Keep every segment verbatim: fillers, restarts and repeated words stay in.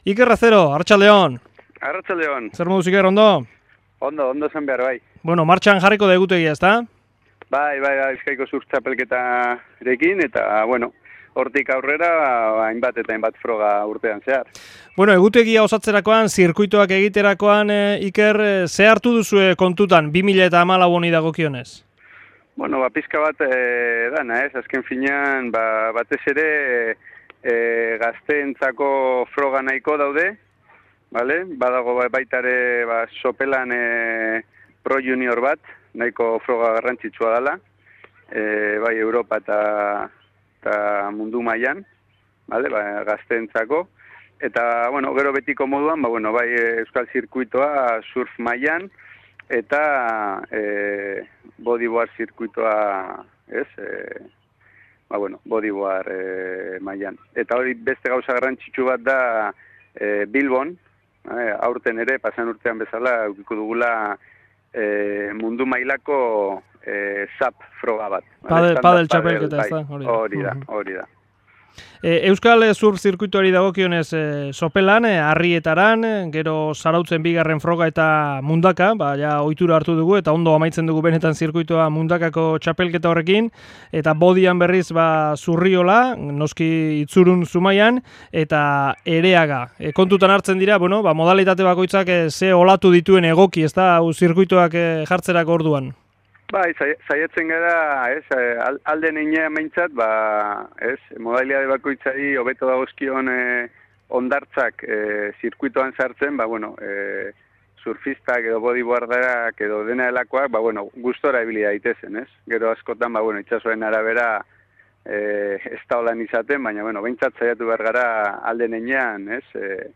Iker Razero, Arratsaldeon. Arratsaldeon. Zer moduz Iker, ondo? Ondo, ondo zen behar, bai. Bueno, martxan jarriko da egutegia, ezta? Bai, bai, bai, Bizkaiko Surf txapelketarekin, eta, bueno, hortik aurrera, hainbat eta hainbat froga urtean zehar. Bueno, egutegia osatzerakoan, zirkuitoak egiterakoan, e, Iker, e, ze hartu duzue kontutan, bi mila hamalau honi dagokionez? Bueno, ba, pizka bat e, dana, ez? Azken finean, ba, batez ere e, gazteentzako froga nahiko daude, vale? Badago ba, baita ere ba, sopelan e, Pro Junior bat, nahiko froga garrantzitsua dela, e, bai Europa eta, eta mundu mailan, vale? Ba, gazteentzako. Eta, bueno, gero betiko moduan, ba, bueno, bai euskal zirkuitoa surf mailan, eta e, bodyboard zirkuitoa, ez, e, ba, bueno, bodyboard e, mailan. Eta hori beste gauza garrantzitsu bat da e, Bilbon, e, aurten ere, pasan urtean bezala, eukiko dugula e, mundu mailako e, zap froga bat. Padel, padel txapelketa, ez da? Hori da, hori da. E, Euskal Surf zirkuituari dagokionez e, sopelan, e, harrietaran, gero zarautzen bigarren froga eta mundaka, ba, ja ohitura hartu dugu, eta ondo amaitzen dugu benetan zirkuitoa mundakako txapelketa horrekin, eta bodian berriz ba, Zurriola, noski Itzurun Zumaian, eta Ereaga. E, kontutan hartzen dira, bueno, ba, modalitate bakoitzak e, ze olatu dituen egoki, ez da, zirkuitoak e, jartzerako orduan. Bai, saiatzen gara, ez, alde neinean meintzat, ba, ez, modalidade bakoitzari hobeto dagozkion e, ondartzak e, zirkuitoan sartzen, ba, bueno, e, surfistak edo bodyboarderak edo dena delakoak, ba, bueno, gustora ibili daitezen, ez? Gero askotan, ba, bueno, itsasoen arabera e, ez da holan izaten, baina, bueno, behintzat saiatu behar gara alde neinean, ez, e,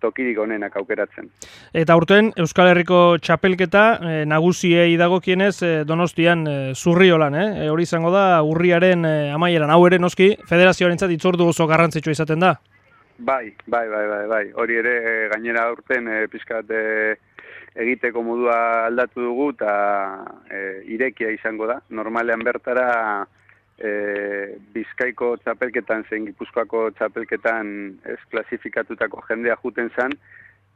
tokirik onenak aukeratzen. Eta urten Euskal Herriko txapelketa e, nagusiei dagokienez e, Donostian e, Zurriolan, eh? E, hori izango da urriaren e, amaieran, hau ere noski federazioarentzat itzordu oso garrantzitsua izaten da. Bai, bai, bai, bai, bai. Hori ere e, gainera urten e, pizkat e, egiteko modua aldatu dugu eta e, irekia izango da. Normalean bertara E, Bizkaiko txapelketan zein Gipuzkoako txapelketan ez klasifikatutako jendea juten zan,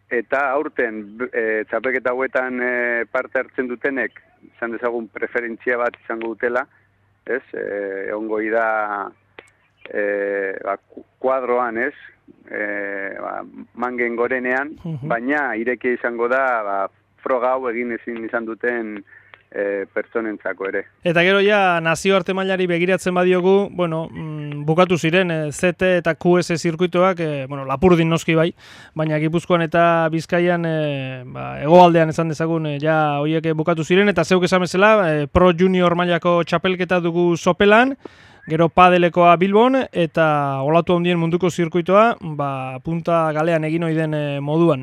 eta aurten e, txapelketa hauetan e, parte hartzen dutenek, izan dezagun preferentzia bat izango dutela, ez, e, ongoi da e, ba, kuadroan, ez, e, ba, mangen gorenean, uh-huh. Baina irekia izango da ba, froga hau egin ezin izan duten E, pertsonentzako ere. Eta gero ja nazioarte mailari begiratzen badiogu, bueno, mm, bukatu ziren e, Z T eta Q S zirkuitoak, e, bueno, Lapurdin noski bai, baina Gipuzkoan eta Bizkaian e, ba, hegoaldean esan dezagun e, ja horiek bukatu ziren, eta zeuk esan bezala e, Pro Junior mailako txapelketa dugu sopelan, gero padelekoa Bilbon, eta olatu handien munduko zirkuitoa, ba, punta galean egin ohi den e, moduan.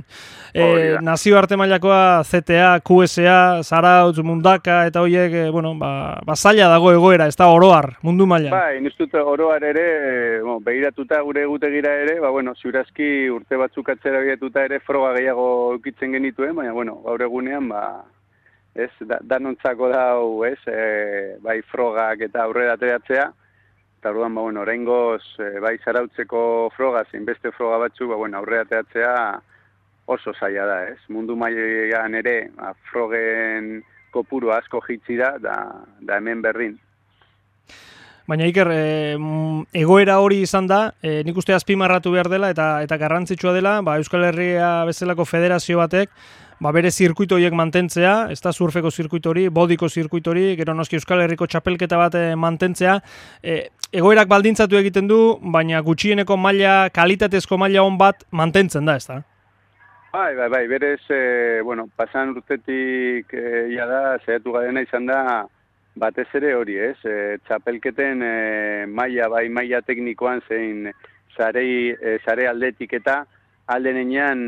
E, nazio arte mailakoa Z T A, Q S A, Zarautz, Mundaka, eta horiek, e, bueno, ba, ba zaila dago egoera, ez da oroar, mundu mailan. Ba, inustut oroar ere, bueno, begiratuta gure egutegira ere, ba, bueno, ziurazki urte batzuk atzera begiratuta ere froga gehiago eukitzen genituen, baina, bueno, gaur egunean, ba, ez, da, danontzako dau, ez, e, bai frogak eta aurrera ateratzea, eta orduan, ba, bueno, oraingoz, e, bai zarautzeko froga, zein beste froga batzuk, ba, bueno, aurrera ateratzea oso zaila da, ez? Mundu mailan ere, ba, frogen kopuru asko jitsi da, da, da hemen berdin. Baina Iker, e, egoera hori izan da, e, nik uste azpimarratu behar dela, eta eta garrantzitsua dela, ba, Euskal Herria bezalako federazio batek, ba, bere zirkuito horiek mantentzea, ez da surfeko zirkuito hori, bodiko zirkuito hori, gero noski Euskal Herriko txapelketa bat mantentzea, e, egoerak baldintzatu egiten du, baina gutxieneko maila, kalitatezko maila on bat mantentzen da, ez da? Bai, bai, bai, berez, e, bueno, pasan urtetik e, ja da, zehatu garena izan da, batez ere hori, ez? E, txapelketen e, maila, bai, maila teknikoan zein zarei, e, zare aldetik eta alde nenean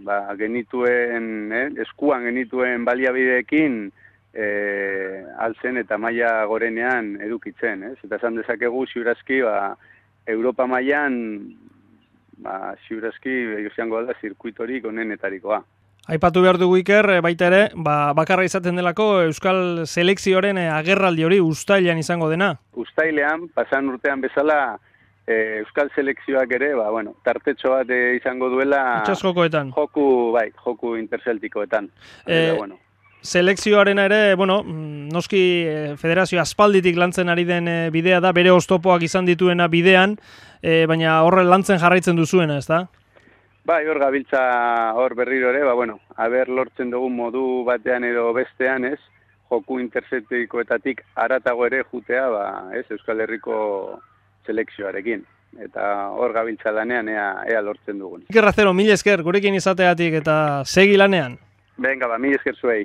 ba, genituen, eh, eskuan genituen baliabideekin e, altzen eta maila gorenean edukitzen, ez? Eta esan dezakegu ziurazki, ba, Europa mailan ba, ziurazki izango da zirkuitorik onenetarikoa. Aipatu behar dugu Iker, baita ere, ba, bakarra izaten delako Euskal Selekzioaren agerraldi hori uztailean izango dena. Uztailean, pasan urtean bezala, e, Euskal selekzioak ere, ba, bueno, tartetxo bat e, izango duela Itxaskokoetan. joku, bai, joku interzeltikoetan. E, Eta, bueno. Selekzioarena ere, bueno, noski federazio aspalditik lantzen ari den bidea da, bere oztopoak izan dituena bidean, e, baina horre lantzen jarraitzen duzuena, ez da? Bai, hor gabiltza hor berriro ere, ba, bueno, haber lortzen dugun modu batean edo bestean, ez, joku interzeltikoetatik aratago ere jutea, ba, ez, Euskal Herriko selekzioarekin. Eta hor gabiltza lanean ea, ea lortzen dugun. Iker Razero, mil esker, gurekin izateatik eta segi lanean. Venga, ba, mil esker zuei.